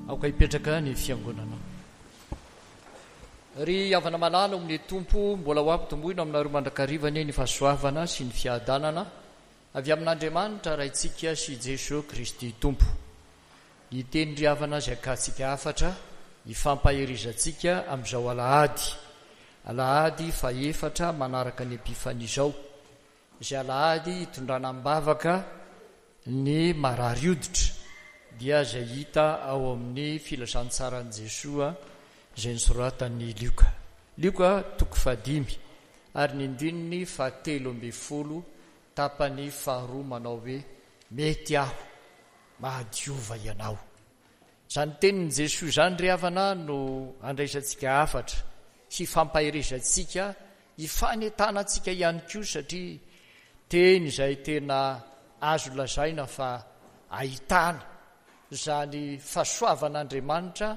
Aoka hipetraka ny fiangonana. Ry havana malala ao amin'ny Tompo, mbola ho ampitomboina aminareo mandrakariva anie ny fahasoavana sy ny fiadanana avy amin'Andriamanitra Raintsika sy Jesoa Kristy Tompo. Ny teny ry havana izay akantsika hafatra hifampaherizantsika amin'izao alahady, alahady fahefatra manaraka ny Epifania izao, Izay alahady hitondrana am-bavaka ny marary hoditra dia izay hita ao amin'ny Filazantsaran'i Jesoa izay nosoratan'i Lioka. Lioka toko fahadimy ary ny andininy fahatelo ambin'ny folo tapany faharoa manao hoe, Mety aho, mahadiova ianao. Izany tenin'i Jesoa izany ry havana no andraisantsika hafatra, hifampaherezantsika Hifanentanantsika ihany koa satria teny izay tena azo lazaina fa ahitana izany fahasoavan'Andriamanitra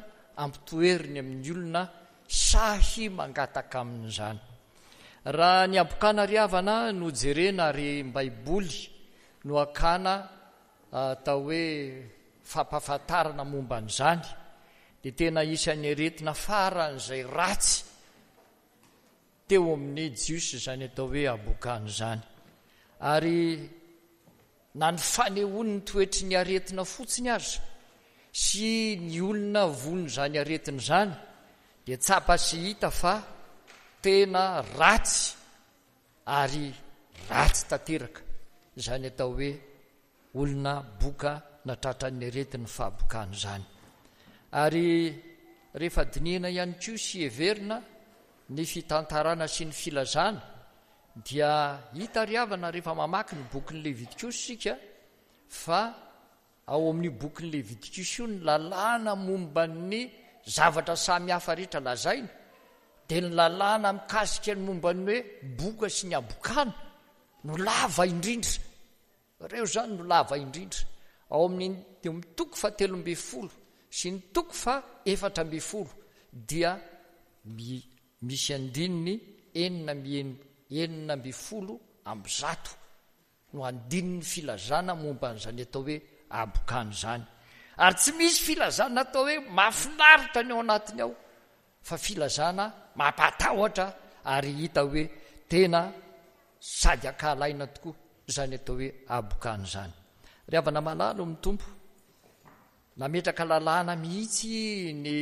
ampitoeriny amin'ny olona sahy mangataka aminy izany. Raha ny habokana ry havana no jerena ary baiboly no hakana atao hoe fampahafantarana momba an'izany dia tena isan'ny aretina faran'izay ratsy teo amin'ny Jiosy izany atao hoe habokana izany. Ary na ny fanehoany ny toetry ny aretina fotsiny aza sy ny olona voan'izany aretina izany dia tsapa sy hita fa tena ratsy ary ratsy tanteraka izany atao hoe olona boka na tratran'ny aretin'ny fahabokana izany. Ary rehefa dinihina ihany koa sy heverina ny fitantarana sy ny filazana dia hita ry havana rehefa mamaky ny bokin'ny Levitikosy isika fa ao amin'io bokin'ny Levitikosy io ny lalàna momba ny zavatra samy hafa rehetra lazaina dia ny lalàna mikasika ny momba ny hoe boka sy ny habokana no lava indrindra. Ireo izany no lava indrindra. Ao amin'ny amin'ny toko fahatelo ambin'ny folo sy ny toko faha-efatra ambin'ny folo dia misy andininy enina amby 116 no andininy filazana momba an'izany atao hoe habokana izany. Ary tsy misy filazana atao hoe mahafinaritra ny ao anatiny ao fa filazana mampatahotra ary hita hoe tena sady ankahalaina tokoa izany atao hoe habokana izany. Ry havana malala ao amin'ny Tompo, nametraka lalàna mihitsy ny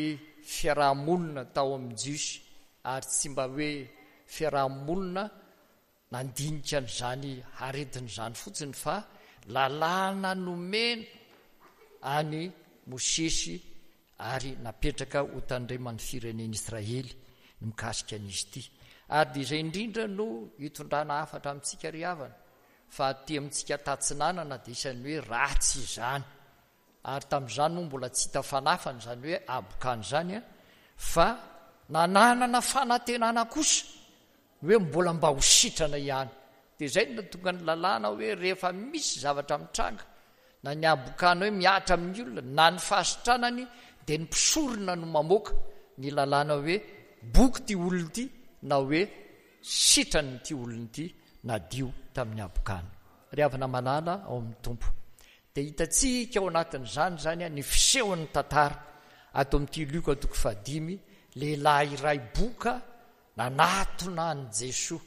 fiaraha-monina tao amin'ny Jiosy ary tsy mba hoe fiaraha-monina nandinika an'izany aretina izany fotsiny fa lalàna nomena an'i Mosesy ary napetraka ho tandreman'ny firenen'Israely ny mikasika an'izy ity. Ary dia izay indrindra no itondrana hafatra amintsika ry havana fa aty amintsika tatsinanana dia isan'ny hoe ratsy izany. Ary tamin'izany moa mbola tsy hita fanafana izany hoe habokana izany fa nananana fanantenana kosa ny hoe mbola mba ho sitrana ihany. Dia izay no nahatonga ny lalàna hoe rehefa misy zavatra mitranga, na ny habokana hoe mihatra amin'ny olona, na ny fahasitranany, dia ny mpisorona no mamoaka ny lalàna hoe boky ity olona ity na hoe sitrany ity olona ity nadio tamin'ny habokana. Ry havana malala ao amin'ny Tompo. Dia hitantsika ao anatin'izany izany ny fisehon'ny tantara ato amin'ity Lioka toko fahadimy, lehilahy iray boka Nanatona an'i Jesoa.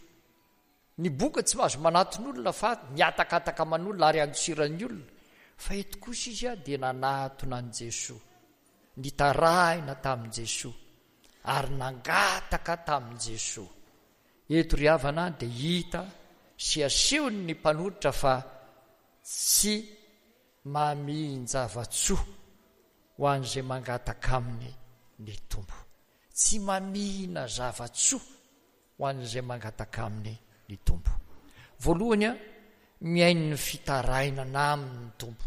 Ny boka tsy mahazo manatona olona fa mihatakataka aman'olona ary andosiran'ny olona. Fa eto kosa izy dia nanatona an'i Jesoa. Nitarahina tamin'i Jesoa ary nangataka tamin'i Jesoa. Eto ry havana dia hita sy asehon'ny mpanoratra fa tsy mamihin-java-tsoa ho an'izay mangataka aminy ny Tompo. Tsy mamihina zava-tsoa ho an'izay mangataka aminy ny Tompo. Voalohany, mihaino ny fitarainana aminy ny Tompo.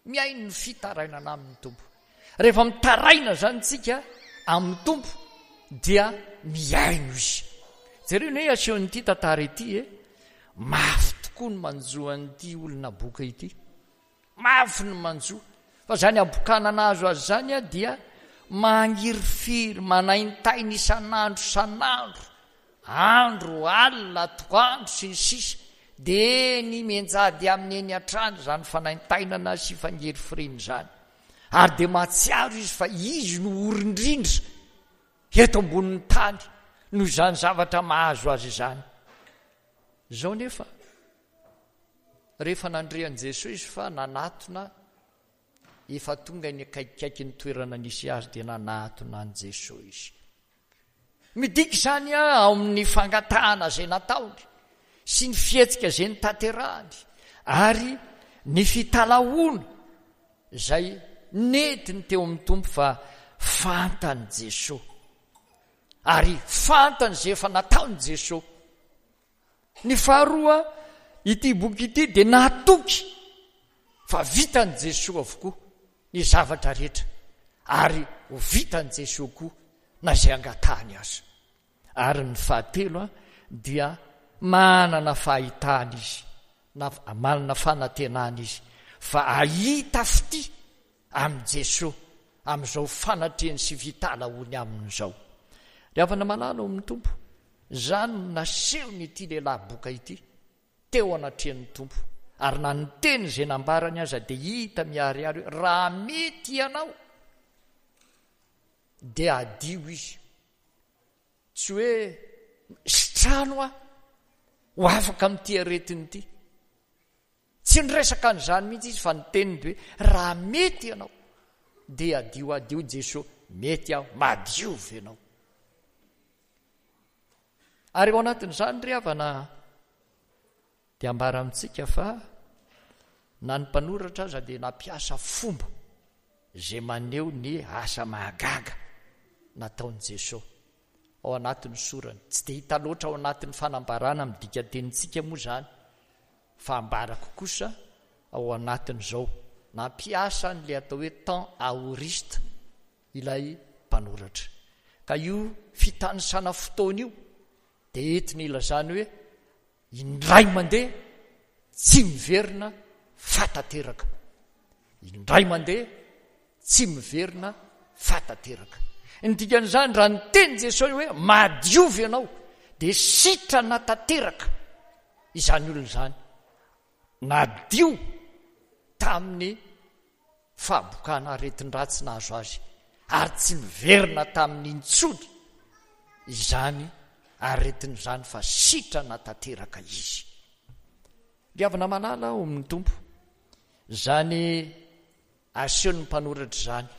Mihaino ny fitarainana aminy ny Tompo. Rehefa mitaraina izany tsika amin'ny Tompo dia mihaino Izy. Jereo ny hoe asehon'ity tantara ity e. Mafy tokoa ny manjo an'ity olona boka ity. Mafy ny manjo fa izany habokana nahazo azy izany dia mangirifiry, manaintaina isan'andro isan'andro, andro, alina, atoandro sy ny sisa dia eny mianjady aminy eny hatrany izany fanaintainana sy fangirifiriana izany. Ary dia mahatsiaro izy fa izy no ory indrindra eto ambonin'ny tany noho izany zavatra mahazo azy izany. Izao nefa, rehefa nandre an'i Jesoa izy fa nanatona, efa tonga eny akaikikaiky ny toerana nisy azy dia nanatona an'i Jesoa izy. Midika izany ao amin'ny fangatahana izay nataony sy ny fihetsika izay notanterahany ary ny fitalahoana izay nentiny teo amin'ny Tompo fa fantan'i Jesoa ary fantany izay efa nataon'i Jesoa. Ny faharoa, ity boky ity dia natoky fa vitan'i Jesoa avokoa ny zavatra rehetra ary ho vitan'i Jesoa koa na izay angatahany aza. Ary ny fahatelo dia manana fahitana izy na manana fanantenana izy fa hahita fitia amin'i Jesoa amin'izao fanatrehany sy fitalahoany aminy izao. Ry havana malala ao amin'ny Tompo, izany no nasehon'ity lehilahy boka ity teo anatrehan'ny Tompo, ary na ny teny izay nambarany aza dia hita miharihary hoe raha mety ianao dia hadio izy. Tsy hoe sitrano aho ho afaka amin'ity aretina ity. Tsy niresaka an'izany mihitsy izy fa ny teniny dia hoe raha mety ianao dia hadio hadio Jesoa, mety aho, madiova ianao. Ary ao anatin'izany ry havana dia ambara amintsika fa na ny mpanoratra aza dia nampiasa fomba izay maneho ny asa mahagaga nataon'i Jesoa ao anatin'ny sorany. Tsy dia hita loatra ao anatin'ny fanambarana amin'ny dikatenintsika moa izany fa ambarako kosa ao anatin'izao. Nampiasa an'ilay atao hoe temps aoriste ilay mpanoratra. Ka io fitanisana fotoana io dia entina ilazana hoe indray mandeha tsy miverina fa tanteraka. Indray mandeha tsy miverina fa tanteraka. Ny dikan'izany raha niteny Jesosy hoe madiova ianao dia sitrana tanteraka izany olona izany. Nadio tamin'ny fahabokana aretin-dratsy nahazo azy ary tsy niverina taminy intsony izany aretina izany fa sitrana tanteraka izy. Ry havana malala ao amin'ny Tompo, izany asehon'ny mpanoratra izany,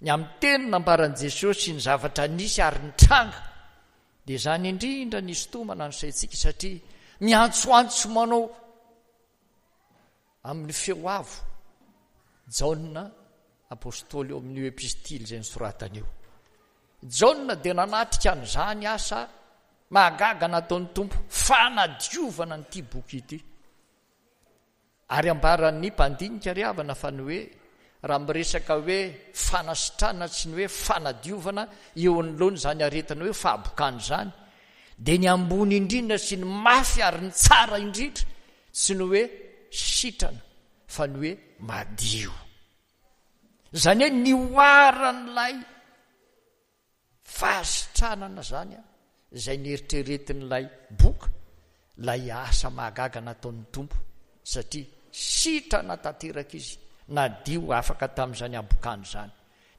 ny amin'ny teny nambaran'i Jesosy sy ny zavatra nisy ary nitranga, dia izany indrindra ny hisintomana ny saintsika satria miantsoantso manao Amin'ny feo avo, Jaona apostoly eo amin'io epistily izay nosoratany io. Jaona dia nanatrika an'izany asa mahagaga nataon'ny Tompo fanadiovana an'ity boky ity. Ary ambaran'ny mpandinika ry havana fa ny hoe raha miresaka hoe fanasitranana sy ny hoe fanadiovana eo anoloana izany aretina hoe fahabokana izany dia ny ambony indrindra sy ny mafy ary ny tsara indrindra tsy ny hoe sitrana fa ny hoe madio. Izany hoe nihoaran'ilay fahasitranana izany izay neritreretin'ilay boka, ilay asa mahagaga nataon'ny Tompo satria sitrana tanteraka izy, nadio afaka tamin'izany habokana izany.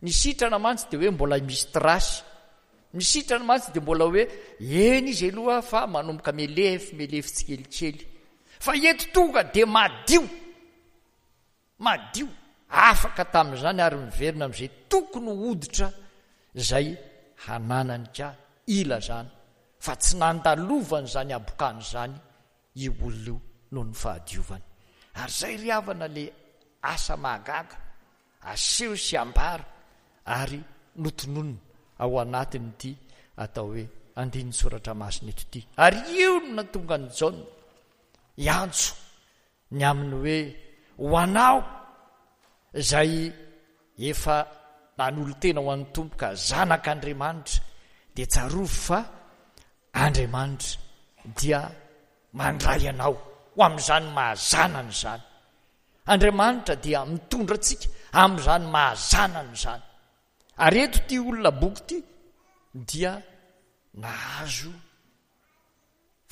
Ny sitrana mantsy dia hoe mbola misy trace. Ny sitrana mantsy dia mbola hoe eny izy aloha fa manomboka melefy melefy tsikelikely. Fa eto tonga dia madio. Madio. Afaka tamin'izany ary miverina amin'izay tokony ho hoditra izay hananany ka ilazana fa tsy nandalovany izany habokana izany io olona io noho ny fahadiovany. Ary izay ry havana le asa mahagaga aseho sy ambara ary notononina ao anatin'ity atao hoe andinin-tsoratra masina eto ity. Ary io no nahatonga an'i Jaona hiantso ny amin'ny hoe ho anao izay efa nanolo-tena ho an'ny Tompo ka zanak'Andriamanitra dia tsarovy fa Andriamanitra dia mandray anao ho amin'izany maha zanany izany. Andriamanitra dia mitondra antsika amin'izany maha zanany izany. Ary eto ity olona boky ity dia nahazo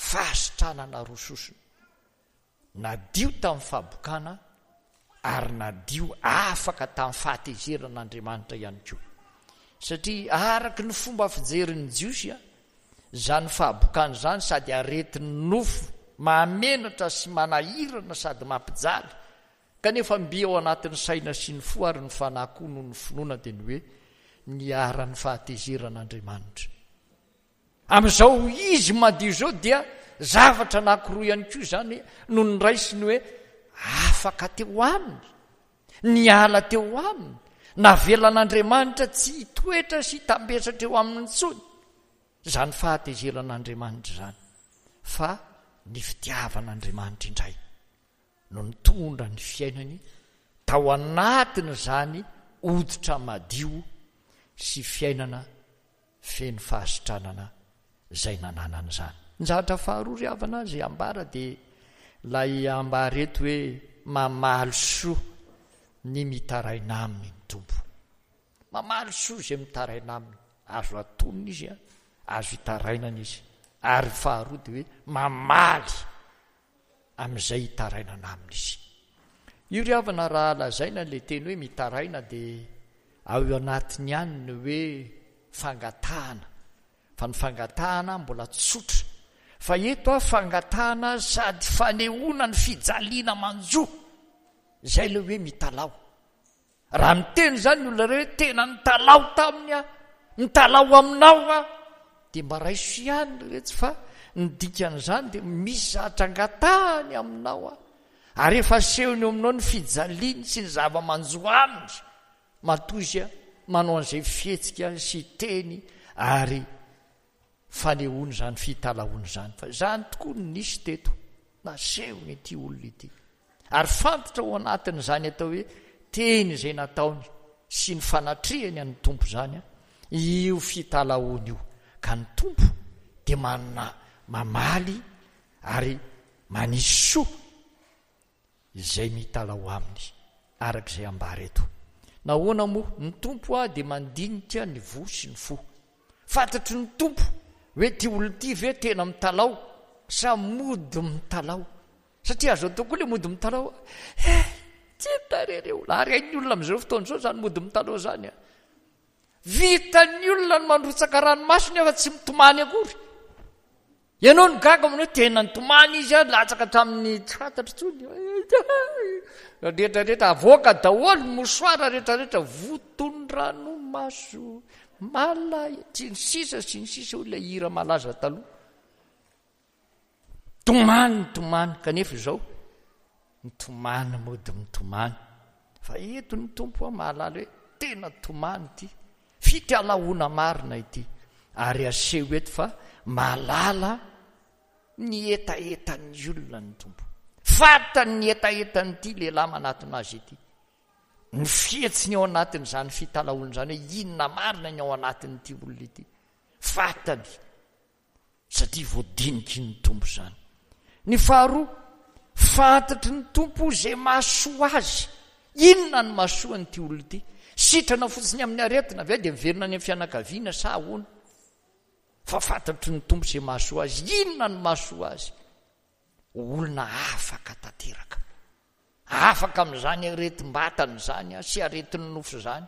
fahasitranana roa sosona. Nadio tamin'ny fahabokana Ary nadio afaka tamin'ny fahatezeran'Andriamanitra ihany koa. Satria araka ny fomba fijerin'ny Jiosy, izany fahabokana izany sady aretin'ny nofo mahamenatra sy manahirana sady mampijaly, kanefa mby ao anatin'ny saina sy ny fo ary ny fanahy koa noho ny finoana dia ny hoe niharan'ny fahatezeran'Andriamanitra. Amin'izao izy madio izao dia zavatra anankiroa ihany koa izany no noraisiny hoe afaka teo aminy, niala teo aminy, navelan'Andriamanitra tsy hitoetra sy hitambesatra eo aminy intsony izany fahatezeran'Andriamanitra izany, fa ny fitiavan'Andriamanitra indray no nitondra ny fiainany tao anatin'izany hoditra madio sy fiainana feno fahasitranana izay nananany izany. Ny zavatra faharoa ry havana izay ambara dia ilay ambara eto hoe mamaly soa ny mitaraina aminy ny Tompo. Mamaly soa izay mitaraina aminy. Azo atonina izy, azo itarainana izy. Ary faharoa dia hoe mamaly amin'izay itarainana aminy izy. Io ry havana raha lazaina ilay teny hoe mitaraina dia ao anatiny ihany ny hoe fangatahana, fa ny fangatahana mbola tsotra, fa eto aho fangatahana sady fanehoana ny fijaliana manjo, izay ilay hoe mitalaho. Raha miteny izany ny olona iray hoe tena nitalaho taminy aho, mitalaho aminao aho, dia mba raiso ihany ry retsy fa ny dikan'izany dia misy zavatra angatahany aminao aho. Ary efa asehony eo aminao ny fijaliany sy ny zava-manjo aminy. Matoa izy manao an'izay fihetsika sy teny ary fanehoana izany fitalahoana izany. Fa izany tokoa no nisy teto, nasehony ity olona ity. Ary fantatra ao anatin'izany atao hoe teny izay nataony sy ny fanatrehany an'ny Tompo izany, io fitalahoana io. Ka ny Tompo dia manana mamaly ary manisy soa izay mitalaho aminy, araka izay ambara eto. Nahoana moa? Ny Tompo dia mandinika ny voa sy ny fo. Fantatry ny Tompo hoe ity olona ity ve tena mitalaho sa mody mitalaho. Satria azo atao koa ilay mody mitalaho, eh, tsy hita re re olona. Ary hain'ny olona amin'izao fotoana izao izany mody mitalaho izany. Vitan'ny olona ny mandrotsaka ranomaso nefa tsy mitomany akory. Ianao no gaga aminao hoe tena nitomany izy a, latsaka hatramin'ny tsy fantatro intsony. Rehetra rehetra avoaka daholo ny mouchoir rehetra rehetra voton'ny ranomaso mala sy ny sisa sy ny sisa hoy ilay hira malaza taloha. Tomany nitomany kanefa izao mitomany mody mitomany fa eto ny Tompo aho mahalala hoe tena tomany ity fitalahoana marina ity ary aseho eto fa mahalala ny hetahetan'ny olona ny Tompo. Fantany ny hetahetan'ity lehilahy manatona azy ity. Ny fihetsiny ao anatin'izany fitalahoana izany hoe inona marina ny ao anatin'ity olona ity. Fantany. satria voadiniky ny Tompo izany. Ny faharoa, fantatry ny Tompo izay mahasoa azy. Inona no mahasoa an'ity olona ity? Sitrana fotsiny amin'ny aretina ve dia miverina any amin'ny fianakaviana sa ahoana? Fa fantatry ny Tompo izay mahasoa azy. Inona no mahasoa azy? Olona afaka tanteraka. Afaka amin'izany aretim-batana izany sy aretin'ny nofo izany,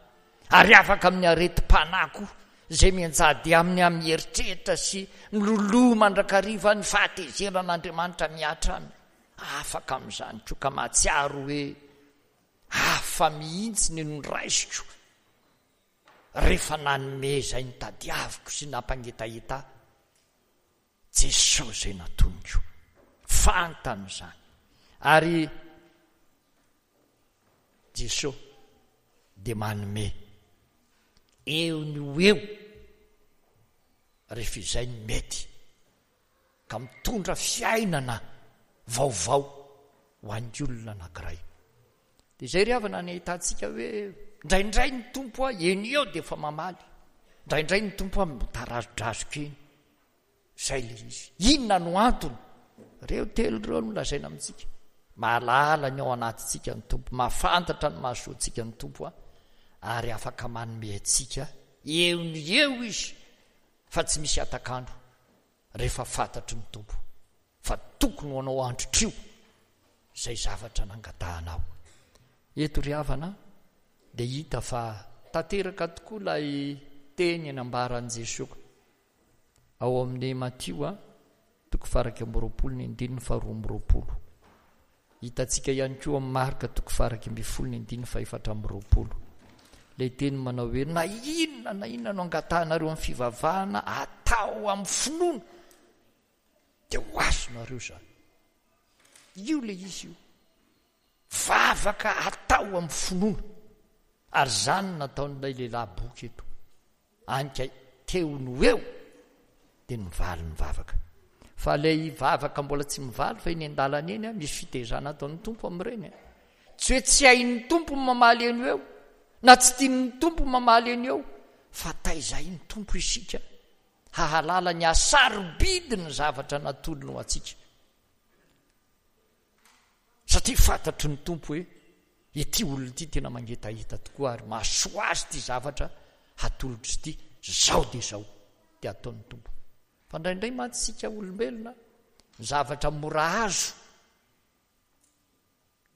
ary afaka amin'ny aretim-panahy koa, izay mianjady aminy amin'ny eritreritra sy miloloha mandrakariva ny fahatezeran'Andriamanitra mihatra aminy. Afaka amin'izany koa ka mahatsiaro hoe hafa mihitsy ny noraisiko rehefa nanome izay notadiaviko sy nampangetaheta ahy. Jesosy izay natoniko. Fantany izany. Ary Jesosy dia manome eo ny ho eo rehefa izay ny mety ka mitondra fiainana vaovao ho an'ny olona anankiray. Dia izay ry havana ny ahitantsika hoe indraindray ny Tompo a eny eo dia efa mamaly, indraindray ny Tompo a mitarazodrazoka eny. Izay ilay izy. Inona no antony? Ireo telo ireo no lazaina amintsika. Mahalala ny ao anatintsika ny Tompo, mahafantatra ny mahasoa antsika ny Tompo a, ary afaka manome antsika eo ny eo Izy fa tsy misy hatak'andro rehefa fantatry ny Tompo fa tokony ho anao androtrio izay zavatra nangatahanao. Eto ry havana dia hita fa tanteraka tokoa ilay teny nambaran'i Jesoa ao amin'ny Matio toko faha-21 ny andininy faha-22. Hitantsika ihany koa amin'ny Marka toko faha-11 ny andininy faha-24. Ilay teny manao hoe na inona na inona no angatahanareo amin'ny fivavahana atao amin'ny finoana dia ho azonareo izany. Io ilay izy io. Vavaka atao amin'ny finoana. Ary izany no nataon'ilay lehilahy boky eto. Any ka teo no eo dia nivaly ny vavaka. Fa ilay vavaka mbola tsy mivaly fa eny an-dalana eny, misy fitezana ataon'ny Tompo amin'ireny. Tsy hoe tsy hain'ny Tompo ny mamaly eny eo, na tsy tian'ny Tompo ny mamaly eny eo, fa taizain'ny Tompo isika hahalala ny hasarobidin'ny zavatra natolony ho antsika. Satria fantatry ny Tompo hoe ity olona ity tena mangetaheta tokoa ary mahasoa azy ity zavatra hatolotro ity, zao dia zao dia ataon'ny Tompo. Fa indraindray mantsy isika olombelona, ny zavatra mora azo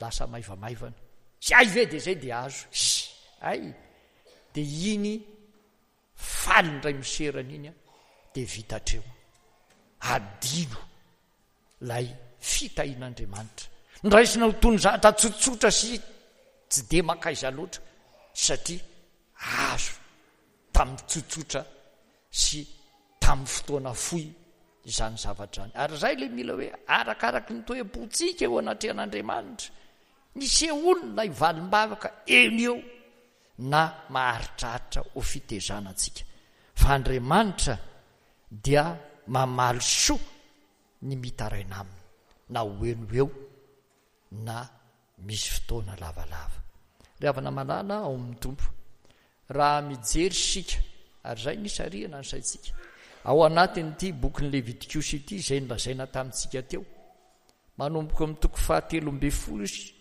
lasa maivamaivana. Tsy hay ve dia zay dia azo. Hay! Dia iny faly indray miserana iny dia vita hatreo. Adino ilay fitahian'Andriamanitra. Noraisina ho toy ny zavatra tsotsotra sy tsy dia mankaiza loatra satria azo tamin'ny tsotsotra sy tamin'ny fotoana fohy izany zavatra izany. Ary izay ilay mila hoe arakaraky ny toe-pontsika eo anatrehan'Andriamanitra, nisehoany ilay valim-bavaka eny eo na maharitraritra ho fitezana antsika. Fa Andriamanitra dia mamaly soa ny mitaraina aminy, na ho eo no eo na misy fotoana lavalava. Ry havana malala ao amin'ny Tompo, raha mijery isika, ary izay no isarihana ny saintsika, ao anatin'ity bokin'ny Levitikosy ity izay nolazaina tamintsika teo, manomboka amin'ny toko fahatelo ambin'ny folo izy,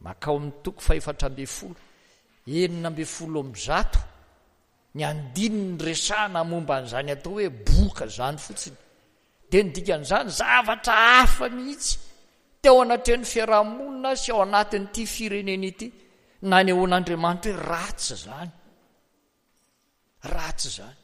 makao amin'ny toko fahefatra ambin'ny folo, 116, Ny andininy resahana momba an'izany atao hoe boka izany fotsiny dia ny dikan'izany zavatra hafa mihitsy teo anatrehan'ny fiarahamonina sy ao anatin'ity firenena ity nanehoan'Andriamanitra hoe ratsy izany. Ratsy izany.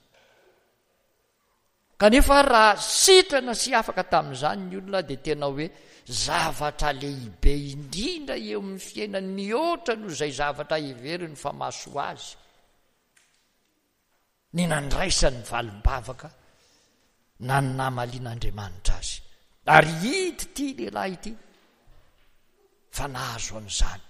Kanefa raha sitrana sy afaka tamin'izany ny olona dia tena hoe zavatra lehibe indrindra eo amin'ny fiainany mihoatra noho izay zavatra heveriny fa mahasoa azy ny nandraisany valim-bavaka na ny namalian'Andriamanitra azy. Ary hita ity lehilahy ity fa nahazo an'izany.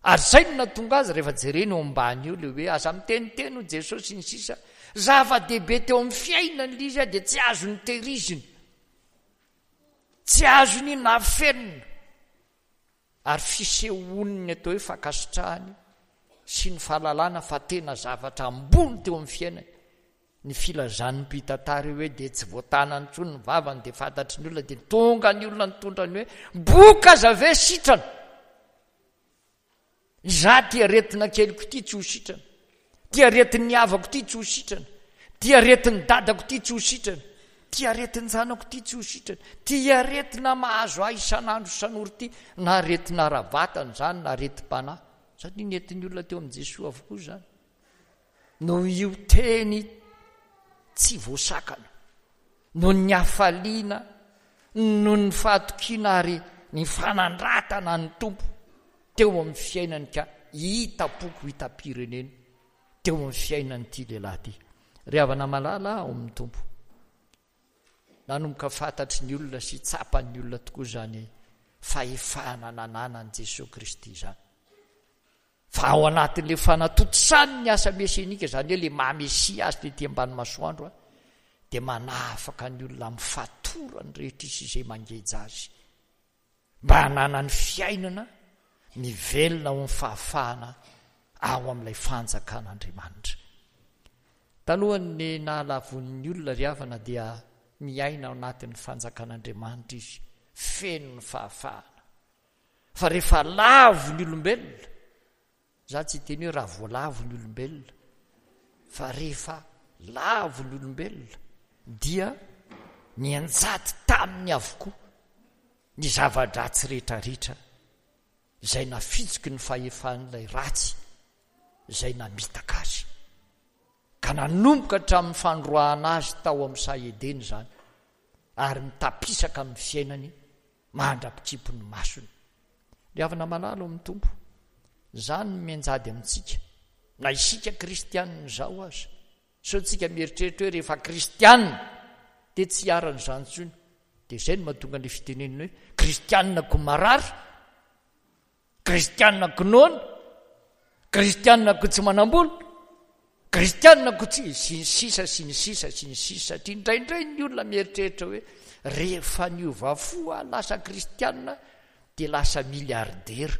Ary izay no nahatonga azy rehefa jerena eo ambany eo ilay hoe aza miteniteny hoy Jesosy sy ny sisa, zava-dehibe teo amin'ny fiainany ilay izy dia tsy azony tehirizina, tsy azony nafenina, ary fisehoan'ny atao hoe fankasitrahany sy ny fahalalana fa tena zavatra ambony teo amin'ny fiainany ny filazan'ny mpitantara io hoe dia tsy voatanany intsony ny vavany dia fantatry ny olona dia tonga ny olona nitondra ny hoe boka aza ve sitrana Izaho ty aretina keliko ity tsy ho sitrana, ty aretin'ny havako ity tsy ho sitrana, ty aretin'ny dadako ity tsy ho sitrana, ty aretin-janako ity tsy ho sitrana, ty aretina mahazo ahy isan'andro isan'ora ity, na aretina ara-batana izany na aretim-panahy. Satria nentin'ny olona teo amin'i Jesoa avokoa izany. Noho io teny tsy voasakana, noho ny hafaliana, noho ny fahatokiana ary ny fanandratana ny Tompo teo amin'ny fiainany ka hitam-poko hitam-pirenena teo amin'ny fiainan'ity lehilahy ity. Ry havana malala ao amin'ny Tompo, nanomboka fantatry ny olona sy tsapan'ny olona tokoa izany fahefana nananan'i Jesoa Kristy izany. Fa ao anatin'ilay fanatontosany ny asa mesianika, izany hoe ilay maha Mesia azy tety ambany masoandro, dia manafaka ny olona amin'ny fatorany rehetra izy izay mangeja azy, mba hananany fiainana mivelona ao amin'ny fahafahana ao amin'ilay fanjakan'Andriamanitra. Talohan'ny nahalavoan'ny olona ry havana dia miaina ao anatin'ny fanjakan'Andriamanitra izy, feno ny fahafahana. Fa rehefa lavo ny olombelona, za tsy hiteny hoe raha voalavo ny olombelona, fa rehefa lavo ny olombelona dia nianjady taminy avokoa ny zava-dratsy rehetrarehetra. Izay nafitsiky ny fahefan'ilay ratsy izay namitaka azy. Ka nanomboka hatramin'ny fandroahana azy tao amin'ny saha Edena izany, ary mitapisaka amin'ny fiainany mandra-pikimpy ny masony. Ry havana malala ao amin'ny Tompo, izany no mianjady amintsika, na isika kristianina izao aza. Sao tsika mieritreritra hoe rehefa kristianina dia tsy hiharan'izany intsony. Dia izay no mahatonga an'ilay fitenenana hoe kristianina ko marary, kristianina ko noana, kristianina ko tsy manam-bola, kristianina ko tsy sy ny sisa sy ny sisa sy ny sisa satria indraindray ny olona mieritreritra hoe rehefa niova fo aho lasa kristianina dia lasa milliardaire.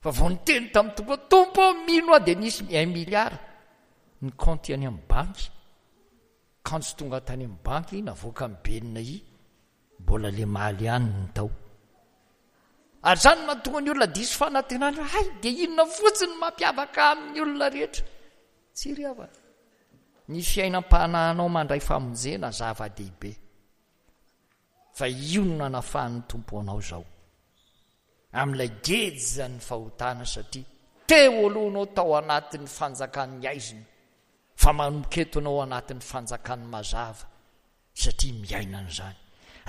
Fa vao niteny tamin'ny Tompo hoe, Tompo ô, mino aho dia nisy un milliard ny kaonty any amin'ny banky. Kanjo tonga tany amin'ny banky, navoakan'ny BNI, mbola le maly ihany ny tao. Ary izany no mahatonga ny olona diso fanantenana, hay dia inona fotsiny no mampiavaka amin'ny olona rehetra. Tsy ry havana. Ny fiainam-panahinao mandray famonjena zava-dehibe. Fa io no nanafahan'ny Tompo anao izao amin'ilay gejan'ny fahotana satria teo aloha anao tao anatin'ny fanjakan'ny haizina fa manomboka eto anao anatin'ny fanjakan'ny mazava satria miaina an'izany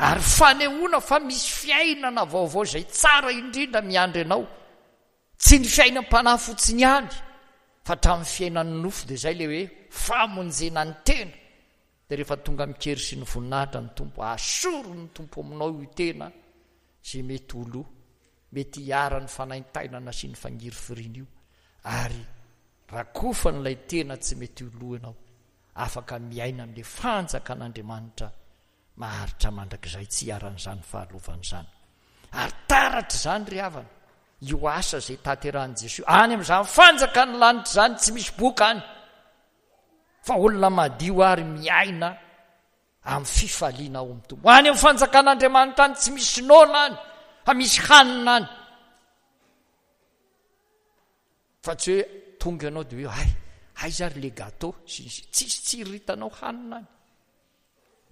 ary fanehoana fa misy fiainana vaovao izay tsara indrindra miandry anao Tsy ny fiainam-panahy fotsiny ihany fa hatramin'ny fiainan'ny nofo dia izay ilay hoe famonjena ny tena. Dia rehefa tonga amin-kery sy ny voninahitra ny Tompo, asoron'ny Tompo aminao io tena izay mety ho lo, mety hiharan'ny fanaintainana sy ny fangirifiriana io, ary rakofan'ilay tena tsy mety ho lo ianao, afaka miaina amin'ilay fanjakan'Andriamanitra maharitra mandrakizay tsy iharan'izany fahalovana izany. Ary taratra izany ry havana, io asa izay tanterahin'i Jesoa any amin'izany fanjakan'ny lanitra izany tsy misy boka any, fa olona madio ary miaina amin'ny fifaliana ao amin'ny Tompo. Any amin'ny fanjakan'Andriamanitra any tsy misy noana any, fa misy hanina any. Fa tsy hoe tonga ianao dia hoe hay, aiza ary le gâteau sy ny sisa. Tsisy tsiriritanao hanina any.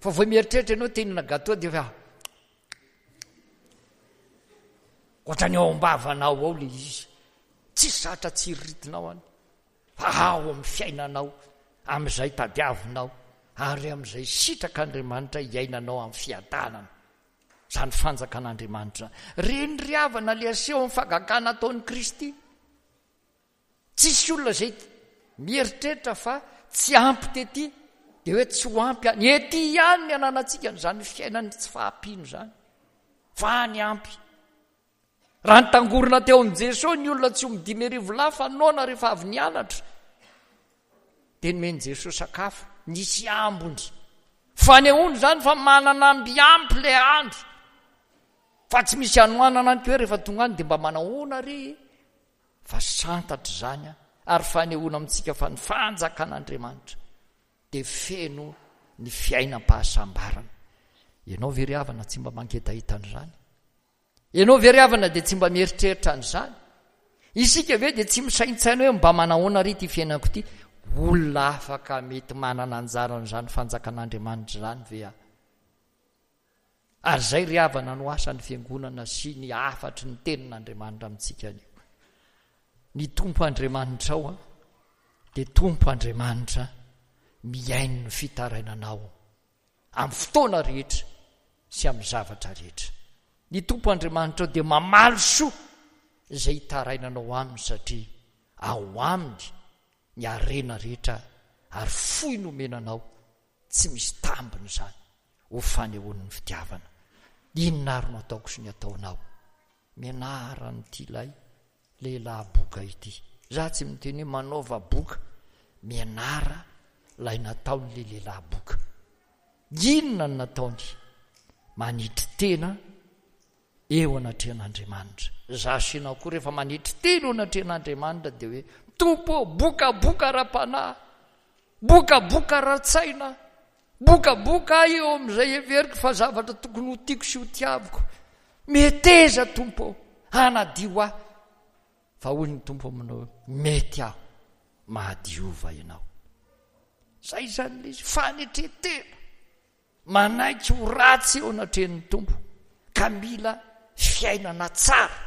Fa vao mieritreritra ianao te hihinana gâteau dia efa ohatran'ny ao am-bavanao ao le izy. Tsisy zatra tsiriritinao any. Fa ao amin'ny fiainanao, amin'izay tadiavinao, ary amin'izay sitrak'Andriamanitra hiainanao amin'ny fiadanana. Izany fanjakan'Andriamanitra izany. Reny ry havana le aseho amin'ny fahagagana ataon'i Kristy. Tsisy olona izay mieritreritra fa tsy ampy tety dia hoe tsy ho ampy any. Ety ihany ny ananantsika an'izany fiainan'ny tsy fahampiana izany. Fa any ampy. Raha nitangorona teo amin'i Jesoa ny olona tsy omby 5000 lahy fa noana rehefa avy nianatra, dia nomen'i Jesoa sakafo, nisy ambiny. Fanehoana izany fa manana amby ampy ilay andro. Fa tsy misy hanoanana any koa rehefa tonga any dia mba manahoana re e? Fa santatra izany ary fanehoana amintsika fa ny fanjakan'Andriamanitra dia feno ny fiainam-pahasambarana. Ianao ve ry havana tsy mba mangetaheta an'izany? Ianao ve ry havana dia tsy mba mieritreritra an'izany? Isika ve dia tsy misaintsaina hoe mba manahoana ary ity fiainako ity? Olona afaka mety manana anjara an'izany fanjakan'Andriamanitra izany ve aho? Ary izay ry havana no asan'ny Fiangonana sy ny hafatry ny Tenin'Andriamanitra amintsika anio. Ny Tompo Andriamanitrao dia Tompo Andriamanitra mihaino ny fitarainanao amin'ny fotoana rehetra sy amin'ny zavatra rehetra. Ny Tompo Andriamanitrao dia mamaly soa izay itarainanao aminy satria ao aminy ny harena rehetra ary fohy nomena anao Tsy misy tambiny izany ho fanehoany ny fitiavana. Inona ary no ataoko sy ny ataonao? Mianara an'ity ilay lehilahy boka ity. Za tsy miteny hoe manaova boka. Mianara ilay nataon'ilay lehilahy boka. Inona no nataony? Manetry tena eo anatrehan'Andriamanitra. Za sy ianao koa rehefa manetry tena eo anatrehan'Andriamanitra dia hoe, Tompo ô, bokaboka ara-panahy, bokaboka ara-tsaina, bokaboka aho eo amin'izay heveriko fa zavatra tokony ho tiako sy ho tiaviko. Meteza Tompo ô, hanadio ahy. Fa hoy ny Tompo aminao hoe, mety aho, mahadiova ianao. Zay izany ilay izy, fanetren-tena. Manaiky ho ratsy eo anatrehan'ny Tompo. ka mila fiainana tsara.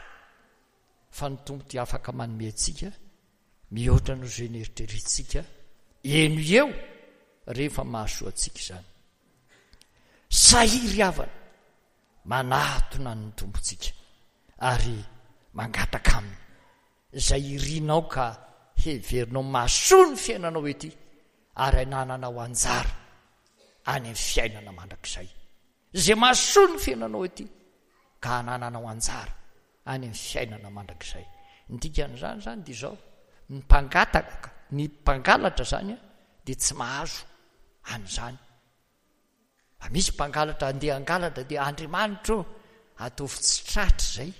Fa ny Tompo dia afaka manome antsika mihoatra noho izay neritreretintsika eny ho eo rehefa mahasoa antsika izany. Sahia ry havana manatona ny Tompontsika ary mangataka Aminy izay irinao ka heverinao mahasoa ny fiainanao ety ary anananao anjara any amin'ny fiainana mandrakizay. Izay mahasoa ny fiainanao ety ka anananao anjara any amin'ny fiainana mandrakizay. Ny dikan'izany izany dia izao, ny mpangataka, ny mpangalatra izany dia tsy mahazo an'izany. Fa misy mpangalatra andeha hangalatra dia Andriamanitra ô, ataovy tsy tratra izay.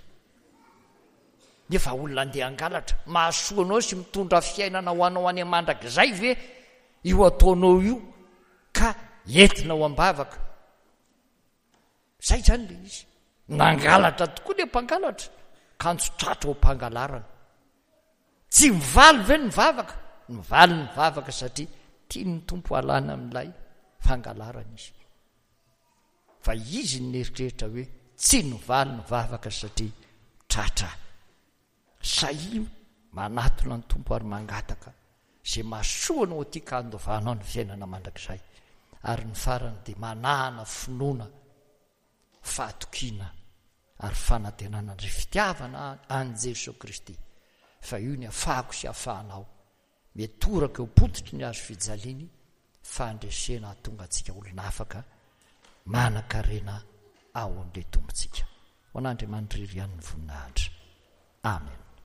Nefa olona andeha hangalatra, mahasoa anao sy mitondra fiainana ho anao any mandrakizay ve io ataonao io ka entinao am-bavaka? Zay zany le izy. Nangalatra tokoa le mpangalatra, kanjo tratra ao am-pangalarana. Tsy mivaly ve ny vavaka? Mivaly ny vavaka satria tian'ny Tompo halana amin'ilay fangalarana izy. Fa izy no nieritreritra hoe tsy nivaly ny vavaka satria tratra. Sahia manatona ny Tompo ary mangataka izay mahasoa anao aty ka handovanao ny fiainana mandrakizay. Ary ny farany dia manana finoana, fahatokiana ary fanantenana ndry fitiavana an'i Jesoa Kristy fa io ny afahako sy afahanao mitoraka eo pototry ny hazo fijaliany fandresena hahatonga antsika olona afaka manan-karena ao amin'ilay Tompontsika. Ho an'Andriamanitra irery ihany ny voninahitra. Amen.